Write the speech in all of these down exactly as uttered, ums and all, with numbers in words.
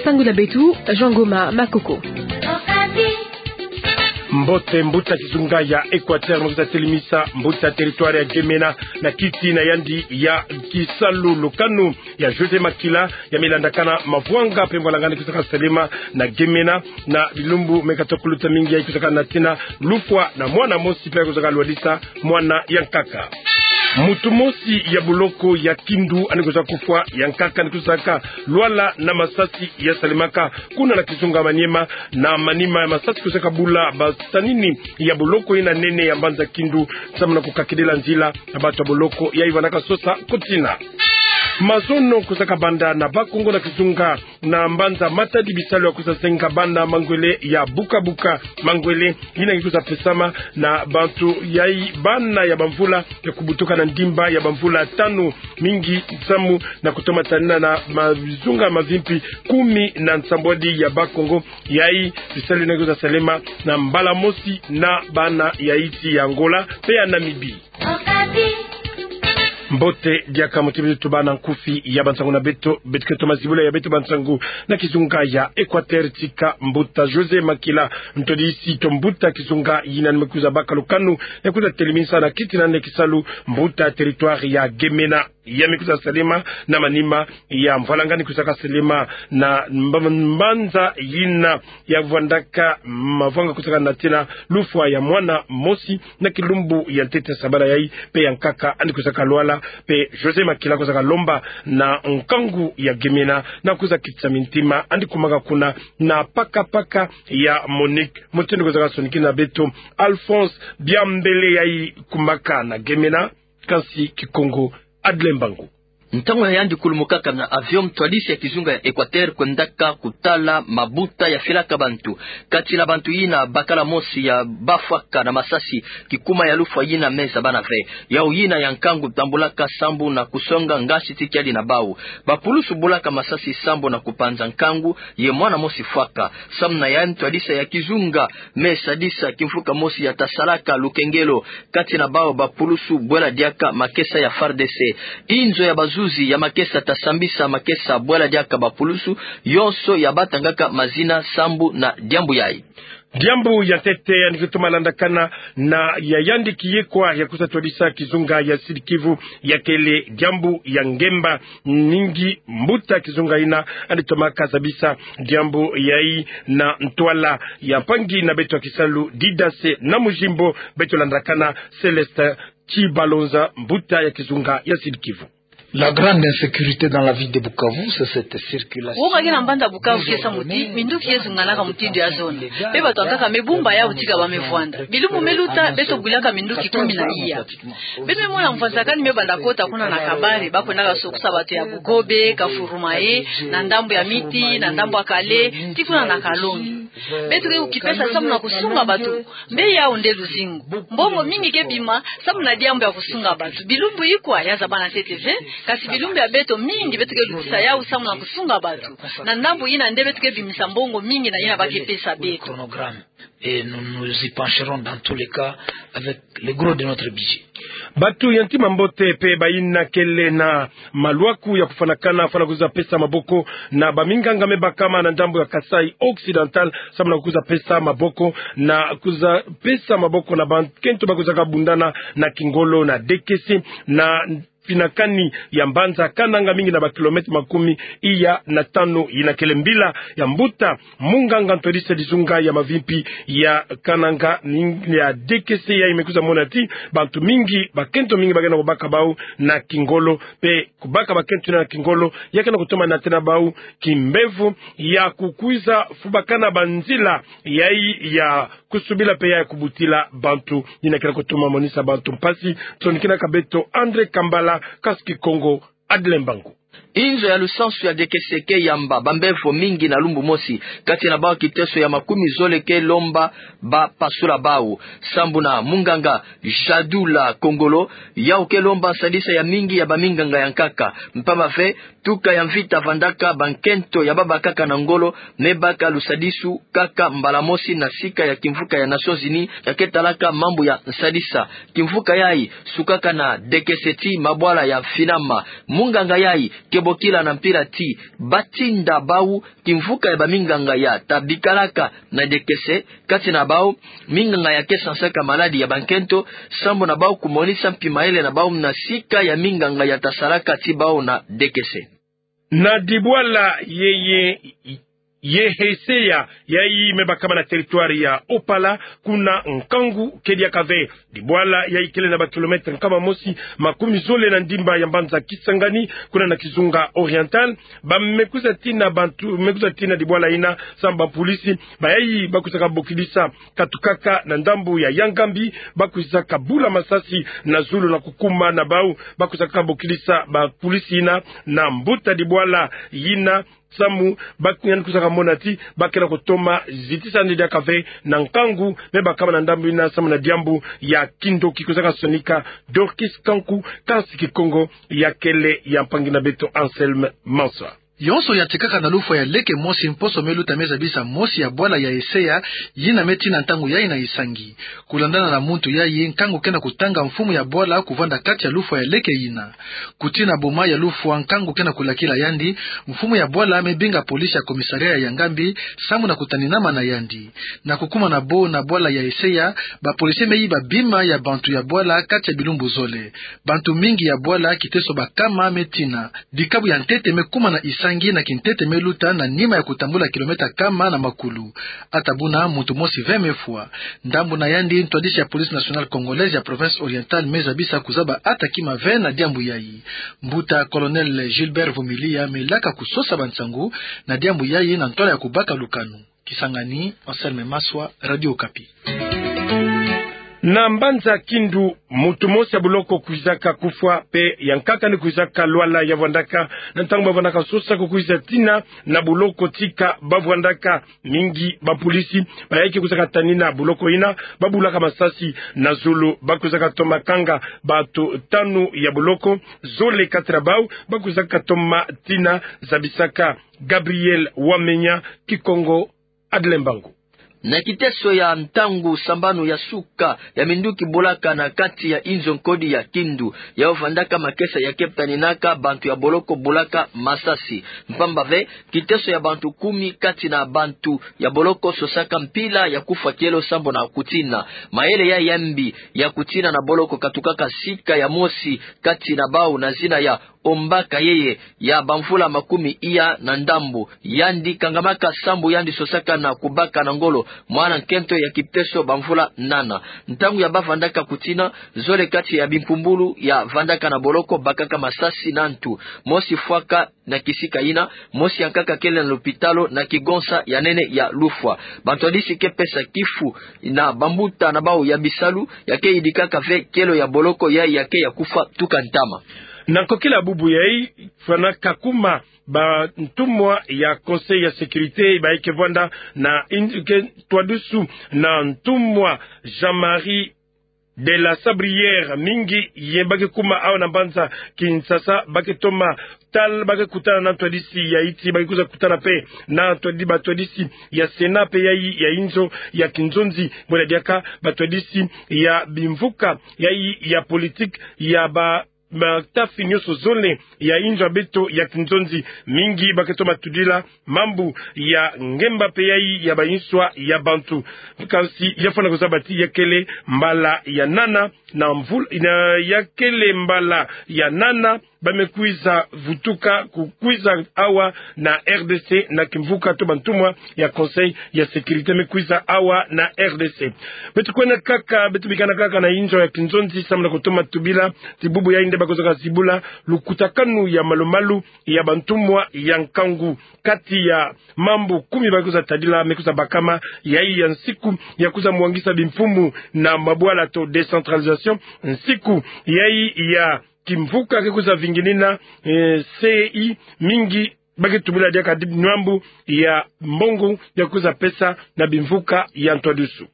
Sango na beto, Jean Ngoma Makoko. Mbote, mbuta kizunga ya Equateur me kwiza telemisa mbuta territoire ya Gemena na kiti na yandi ya kisalu. Lukanu ya José Makila ya me landakana mavwanga mpe mvwalanga yandi kwiza kasalema na Gemena na bilumbu me kata kuluta mingi, yayi kwiza kanatina lufwa na mwana mosi mpe kwiza kalwadisa mwana ya nkaka. Mutu mosi ya boloko ya Kindu yandi kwiza kufwa, ya nkaka yandi kwiza kalwala na masasi ya salemaka kuna na kizunga Maniema. Na manima ya masasi kwiza kabula basanini ya boloko yina nene ya mbanza Kindu, samu na kukakidila nzila na bato ya boloko yayi vandaka sosa kutina. Mazono kwiza kabanda na Bas-Congo na kizunga na mbanza Matadi, bisalu ya kwiza zenga bana mangwele ya buka-buka mangwele yina ngi kwiza pesama na bantu yayi bana ya bamvula ya kubutuka na ndimba ya bamvula tanu, mingi samu na kutoma tanina na ma-, bizunga mavimpi kumi na nsambwadi ya Bas-Congo. Yayi bisalu yina ngi kwiza salema na mbala mosi na bana ya insi ya Angola mpe ya Namibie. Mbote, diaka muti beto tubana nkufi ya bansangu na beto, beto ke toma zibula ya beto bansangu na kizunga ya Equateur. Tika mbuta José Makila, ntwadisi to mbuta kizunga yina yandi me kwiza baka lukanu ya kwiza telemisa na kiti na yandi ya kisalu mbuta territoire ya Gemena. Ya me kwiza salema na manima ya mvwalanga yandi kwiza kasalema na mba-, mbanza yina ya vandaka mavwanga kwiza kanatina lufwa ya mwana mosi na kilumbu ya ntete sabala yayi, mpe ya nkaka yandi kwiza kalwala. Mpe José Makila kwiza kalomba na nkangu ya Gemena na kwiza kitisa mintima yandi kumaka kuna na paka-paka ya Monique. Mutindu kwiza kasonikina beto Alphonse Biambele yayi kumaka na Gemena, kansi Kikongo Adle Mbangu. Ntangu ya yandi kulumukaka na avion, ntwadisi ya kizunga ya Equateur kwendaka kutala mabuta ya filaka bantu. Kati na bantu yina bakala mosi ya bafwaka na masasi, kikuma ya lufwa yina me zabana ve. Yau yina ya nkangu tambulaka sambu na kusonga ngasi ti kiadi na bau. Bapulusu bulaka masasi sambu na kupanza nkangu, ye mwana mosi fwaka. Samu na yandi, ntwadisi ya kizunga me sadisa kimvuka mosi ya tasalaka lukengelo kati na bau bapulusu bwela diaka makesa ya FARDC. Inzo ya bazuzi ya makesa tasambisa makesa bwela diaka bapulusu yonso ya batangaka mazina sambu na diambu yayi. Diambu ya ntete yandi kutoma landakana na ya yandi kiyekwa ya kwiza twadisa kizunga ya Sud-Kivu ya kele diambu ya ngemba mingi. Mbuta kizunga yina yandi toma kazabisa diambu yayi na ntwala ya mpangi na beto ya kisalu Didase na Mujimbo, beto landakana Célestin Tshibalonza, mbuta ya kizunga ya Sud-Kivu. La grande insécurité dans la ville de Bukavu, c'est cette circulation. Wonga ke na mbanza Bukavu ke samu ti minduki ye zunganaka mutindu ya zona. Mpe bato ya nkaka me bumba yau tika ba me vwanda. Bilumbu me luta, beto bwilaka minduki kumi na iya. Beto me mona mvwazakani me banda kota kuna na Kabare, ba kwendaka sokusa bato ya Bugobe, Kavurumae, na ndambu ya Miti, na ndambu ya Kale, tii kuna na Kalongi. Beto ke kukipesa samu na kusunga bato. Mpe yau nde luzingu. Mbongo mingi ke bima samu na diambu ya kusunga bato. Bilumbu ikwa ya zabana ntete ve, kasi bilumbu ya beto mingi beto ke lutisa yau samu na kusunga bato. Na ndambu yina nde beto ke bimisa mbongo mingi na yina ba ke pesa beto. Et nous nous y pencherons dans tous les cas avec le gros de notre budget. Bato ya ntima mbote mpe bayina kele na malwaku ya kufwanakana, fwana kwiza pesa maboko na baminganga me bakama na ndambu ya Kasaï Occidental, samu na kwiza pesa maboko na kwiza pesa maboko na bakento ba kwizaka bundana na kingolo na D K C na finakani ya mbanza Kananga, mingi na ba kilomètre makumi iya na tanu. Yina kele mbila ya mbuta munganga ntwadisi ya kizunga ya mavimpi ya Kananga, ning-, ya D K C, yayi me kwiza mona ti bantu mingi, bakento mingi ba ke na kubaka bau na kingolo, mpe kubaka bakento yina na kingolo ya ke na kutoma natina bau kimbevo ya kukwiza fubakana banzila yayi ya kusubila mpe ya kubutila bantu. Yina ke na kutoma monisa bantu mpasi. Sonikina ka beto André Kambala, kansi Kikongo Adle Mbangu. Inzo ya lusansu ya D K C ke yamba bambevo mingi na lumbu mosi. Kati na bau kiteso ya makumi zole ke lomba ba pasula bau. Sambu na munganga Jadula Kongolo, yau ke lomba nsadisa ya mingi ya baminganga ya nkaka. Mpamba ve, tuka ya mvita vandaka, bankento ya babakaka na ngolo me baka lusadisu kaka mbala mosi na sika ya kimvuka ya Nations Unies ya ke talaka mambu ya nsadisa. Kimvuka yayi sukaka na D K C tii mabwala ya finama. Munganga yayi ke Bokila na mpila ti batinda bau kimvuka ya baminganga ya tabikalaka na D K C, kati na bau minganga ya ke sansaka maladi ya bankento, sambu na bau kumonisa mpi mayele na bau muna sika ya minganga ya tasalaka ti bau na D K C. Na dibwala ye, ye, ye Heseya, yayi me bakama na territoire ya Opala, kuna nkangu kediaka ve. Dibwala yayi kele na ba kilomètre nkama mosi makumi zole na ndimba ya mbanza Kisangani, kuna na kizunga Oriental. Ba me kwiza tina bantu, me kwiza tina dibwala ina, sambu ba polisi bayayi ba kwizaka bokidisa katukaka na ndambu ya Yangambi, ba kwizaka bula masasi na zulu na kukuma na bau, ba kwizaka bokidisa ba polisi ina na mbuta dibwala ina, samu ba yandi kwizaka mona ti ba kena kutoma zitisa yandi diaka ve na nkangu me bakama na ndambu ina, samu na diambu ya kindoki. Kwizaka sonika Dorcas Kanku, kansi Kikongo ya kele ya mpangi na beto Anselme Manswa. Yonso yatikaka na lufwa ya leke mosi mposo me luta me zabisa mosi ya bwala ya Heseya, yina me tina ntangu yayi na Isangi. Kulandana na muntu yayi, nkangu kena kutanga mfumu ya bwala kuvanda kati ya lufwa ya leke yina. Kutina boma ya lufwa, nkangu kena kulakila yandi, mfumu ya bwala me binga polisi ya commissariat ya Yangambi, samu na kutaninama na yandi. Na kukuma na bo na bwala ya Heseya, ba polisi me yiba bima ya bantu ya bwala kati ya bilumbu zole. Bantu mingi ya bwala, kiteso bakama me tina. Dikabu ya ntete me kuma na Isangi, na kintete me luta na nima ya kutambula kilomètre kama na makulu. Ata buna, muntu mosi ve me fwa. Ndambu na yandi, ntwadisi ya Police Nationale Congolaise ya Province Orientale me zabisa kuzaba ata kima ve na diambu yayi. Mbuta Colonel Gilbert Vumilia me laka kusosa bansangu na diambu yayi na ntwala ya kubaka lukanu. Kisangani, Anselme Manswa, Radio Okapi. Na mbanza Kindu, muntu mosi ya boloko kwizaka kufwa, pe ya nkaka ni kwizaka lwala ya vwandaka, na ntangu ba vwandaka sosa ko kwiza tina na boloko tika ba vwandaka. Mingi ba polisi bayayi ke kwizaka tanina boloko ina, ba bulaka masasi na zulu, ba kwizaka toma kanga bato tanu ya boloko, zole kati na bau ba kwizaka toma tina, zabisaka Gabriel Wamenya. Kikongo, Adle Mbangu. Na kiteso ya ntangu sambanu ya suka ya minduki bulaka na kati ya inzo nkodi ya Kindu, ya vandaka makesa ya ke taninaka bantu ya boloko bulaka masasi. Mpamba ve, kiteso ya bantu kumi kati na bantu ya boloko sosaka mpila ya kufwa kielo sambu na kutina. Mayele ya yambi ya kutina na boloko katukaka sika ya mosi kati na bau na zina ya Ombaka, yeye ya bamvula makumi iya na ndambu. Yandi kangamaka sambu yandi sosaka na kubaka na ngolo mwana nkento ya kipteso bamvula nana. Ntangu ya ba vandaka kutina, zole kati ya bimpumbulu ya vandaka na boloko bakaka masasi na ntu. Mosi fwaka na kisika ina, mosi ya nkaka kele na lopitalo na kigonsa ya nene ya lufwa. Bantwadisi ke pesa kifu na bambuta na bau ya bisalu, ya ke yidikaka ve kielo ya boloko ya, ya ke ya kufwa tuka ntama. Na nkokila bubu yayi, fwanaka kuma bantumwa ya Conseil ya Sécurité bayi ke vwanda na in-, ke ntwadusu na ntumwa Jean-Marie de la Sabrière, mingi ye ba ke kuma awa na mbanza Kinshasa, ba ke toma tala, ba ke kutana na ntwadisi ya insi, ba ke kwiza kutana pe na ntwadi-, bantwadisi ya Sénat pe yayi ya inzo ya kinzonzi, bwela diaka bantwadisi ya bimvuka yayi ya politique ya ba, batafi nyonso zole ya inzo ya beto ya kinzonzi. Mingi ba ke toma tudila mambu ya ngemba pe yayi ya bainswa ya bantu. Kansi ya fwana kuzaba ti ya kele mbala ya nana na mvul-, na ya kele mbala ya nana ba me kwiza vutuka ku-, kwiza awa na R D C na kimvuka to bantumwa ya Conseil ya Sécurité me kwiza awa na R D C. Beto kwenda kaka, beto bikana kaka na inzo ya kinzonzi samu na kutoma tubila ti bubu yayi nde ba kwizaka zibula lukutakanu ya malu-malu ya bantumwa ya nkangu. Kati ya mambu kumi ba kwiza tadila me kwiza bakama, yayi ya nsiku ya kwiza mwangisa bimfumu na mabwala to décentralisation, nsiku yayi ya kimvuka ke kwiza vinginina, eh, C I, mingi ba ke tubila diaka di nwambu ya mbongo ya kwiza pesa na bimvuka ya ntwadusu.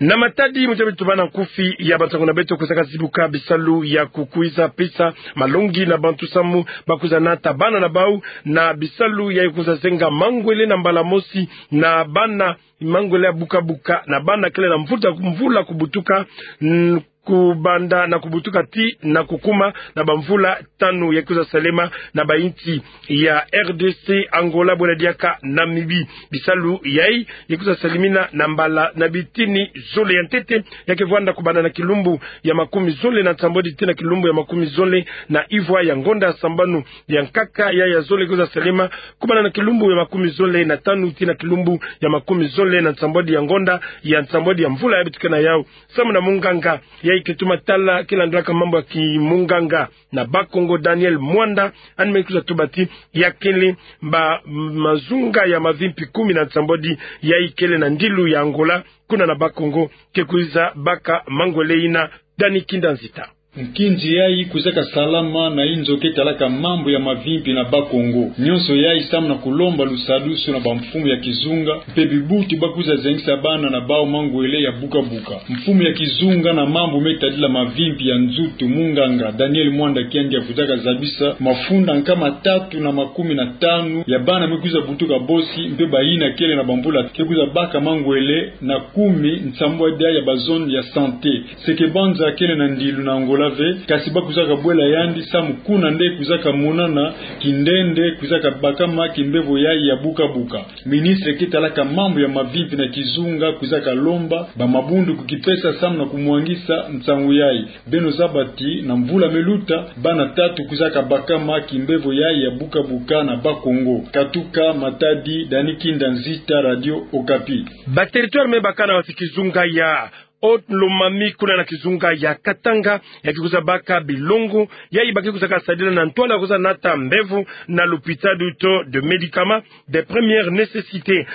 Na matadi, muta beto bana nkufi ya bansangu na beto kwizaka zibuka bisalu ya kukwiza pesa malongi na bantu samu ba kwiza nata bana na bau na bisalu ya kwiza zenga mangwele na mbala mosi na bana, mangwele ya buka-buka na bana kele na mvuta, mvula kubutuka, n-, kubanda na kubutuka tii na kukuma na bamvula tanu ya kwiza salema na bainsi ya R D C, Angola, bwela diaka Namibie. Bisalu yayi ya kwiza salemina na mbala na bitini zole ya ntete, ya ke vwanda kubanda na kilumbu ya makumi zole na nsambwadi tii na kilumbu ya makumi zole na ivwa ya ngonda sambanu ya nkaka. Ya ya zole kwiza salema kubanda na kilumbu ya makumi zole na tanu tii na kilumbu ya makumi zole na nsambwadi ya ngonda ya nsambwadi ya mvula ya bitukena yau. Samu na munganga yayi ke tuma tala, ke landulaka mambu ya kimunganga na Bas-Congo, Daniel Mwanda, yandi me kwiza tuba ti ya kele ba mazunga ya mavimpi kumi na nsambwadi yayi kele na ndilu ya Angola, kuna na Bas-Congo, ke kwiza baka mangwele ina. Dani Kinda Nzita. Nkinzi yayi kwizaka salama na inzo ke talaka mambu ya mavimpi na Bas-Congo. Nyonso yayi samu na kulomba lusadusu na bamfumu ya kizunga, mpe bibuti ba kwiza zengisa bana na bau mangwele ya buka buka. Mfumu ya kizunga na mambu me tadila mavimpi ya nzutu, munganga Daniel Mwanda Kiandia, kwizaka zabisa mafunda nkama tatu na makumi na tanu ya bana me kwiza butuka bosi, mpe bayina kele na bamvula ke kwiza baka mangwele na kumi nsambwadi ya ba zone ya santé. Seke Banza kele na ndilu na Angola ve, kasi ba kwizaka bwela yandi samu kuna nde kwizaka monana kindende kwizaka bakama kimbevo yayi ya buka buka. Ministre ke talaka mambu ya mavimpi na kizunga kwizaka lomba ba mabundu kukipesa samu na kumwangisa nsangu yayi. Beno zaba ti na mvula me luta, bana tatu kwizaka bakama kimbevo yayi ya buka buka na Bas-Congo. Katuka Matadi, Dani Kinda Nzita, Radio Okapi. Ba territoire me baka na basi kizunga ya Haut-Lomami kuna na kizunga ya Katanga, ya ke kwiza baka bilongo yayi ba ke kwizaka sadila na ntwala kwiza nata mbevo na lupitalu to de médicaments de première nécessité.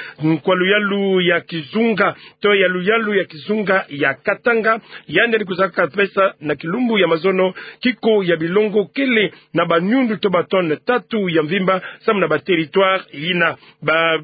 Kwa luyalu ya kizunga to ya luyalu ya kizunga ya Katanga, yandi yandi kwizaka pesa na kilumbu ya mazono kiko ya bilongo kele na banyundu to ba tonnes tatu ya mvimba, samu na ba territoire yina. Ba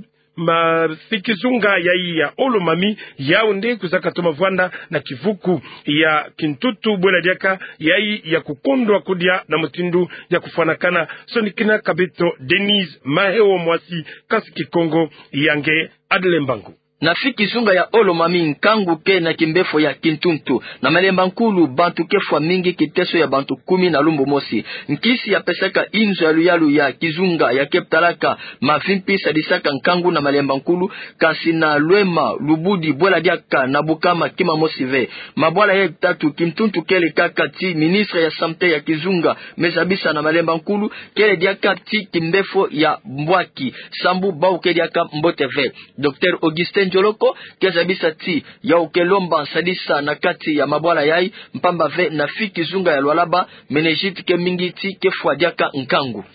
basi kizunga yayi ya Haut-Lomami, yau nde kwizaka toma vwanda na kivuku ya kintutu, bwela diaka yayi ya kukondwa kudia na mutindu ya kufwanakana. Sonikina ka beto Denise Maheo, mwasi kasi Kikongo, ya nge Adle Mbangu. Na fiki kizunga ya Haut-Lomami, nkangu ke na kimbefo ya kintuntu. Na Malemba Nkulu, bantu ke fwa mingi, kiteso ya bantu kumi na lumbu mosi. Nkisi ya pesaka inzo ya luyalu ya kizunga ya ke talaka mavimpi sadisaka nkangu na Malemba Nkulu, kasi na Lwema, Lubudi, bwela diaka na Bukama kima mosi ve. Mabwala ya tatu, kintuntu kele kaka ti ministre ya santé ya kizunga me zabisa na Malemba Nkulu, kele diaka ti kimbefo ya mbwaki, sambu bau ke diaka mbote ve. Docteur Augustin Ndioloko ke zabisa ti yau ke lomba nsadisa na kati ya mabwala yayi, mpamba ve na fiki kizunga ya Lualaba, méningite ke mingi ti ke fwa diaka nkangu.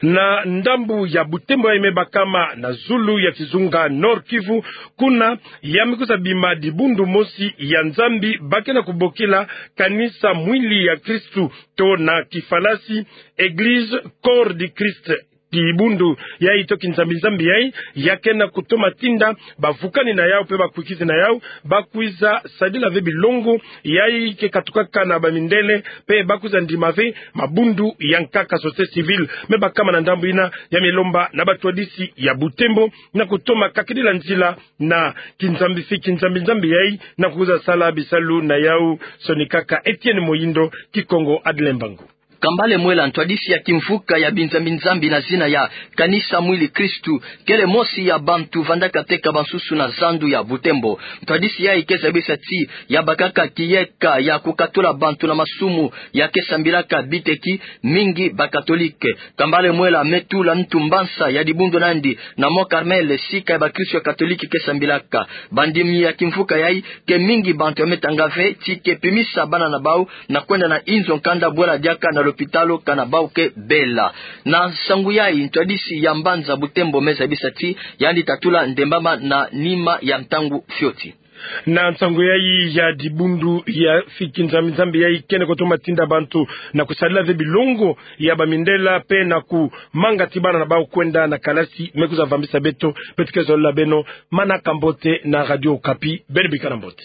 Na ndambu ya Butembo yayi me bakama na zulu ya kizunga Nord-Kivu, kuna ya me kwiza bima dibundu mosi ya Nzambi ba ke na kubokila Kanisa Mwili ya Kristu, to na kifalasi Église Corps du Christ. Dibundu yayi to kinzambi-nzambi yayi, ya ke na kutoma tinda bavukani na yau mpe bakwikizi na yau ba kwiza sadila ve bilongo yayi ke katukaka na bamindele, mpe ba kwiza ndima ve mabundu ya nkaka, société civile. Me bakama na ndambu yina ya me lomba na batwadisi ya Butembo na kutoma kakidila nzila na kinzambi, fiki kizunga-nzambi yayi, na kwiza sala bisalu na yau. Sonikaka Etienne Moyindo, Kikongo Adle Mbangu. Kambale Mwela, ntwadisi ya kimvuka ya binzambi-nzambi na zina ya Kanisa Mwili Kristu, kele mosi ya bantu vandaka teka bansusu na zandu ya Butembo. Ntwadisi yayi ke zabisa ti ya bakaka kiyeka ya kukatula bantu na masumu ya ke sambilaka biteki mingi bakatolike. Kambale Mwela me tula ntu mbansa ya dibundu na yandi na Mont Carmel, sika ya bakristu ya katolike ke sambilaka. Bandimi ya kimvuka yayi ke mingi bantu ya me tanga ve ti ke pimisa bana na bau na kwenda na inzo nkanda bwela diaka na lopitalo kana bau ke bela. Na nsangu yayi, ntwadisi ya mbanza Butembo me zabisa ti yandi ta tula ndembama na nima ya ntangu fioti. Na nsangu yayi ya dibundu ya fiki kizunga-nzambi yayi kene kutoma tinda bantu na kusadila ve bilongo ya bamindele mpe na kumanga ti bana na bau kwenda na kalasi, me kwiza vambisa beto, beto ke zolila beno manaka mbote na Radio Okapi. Beno bikana mbote.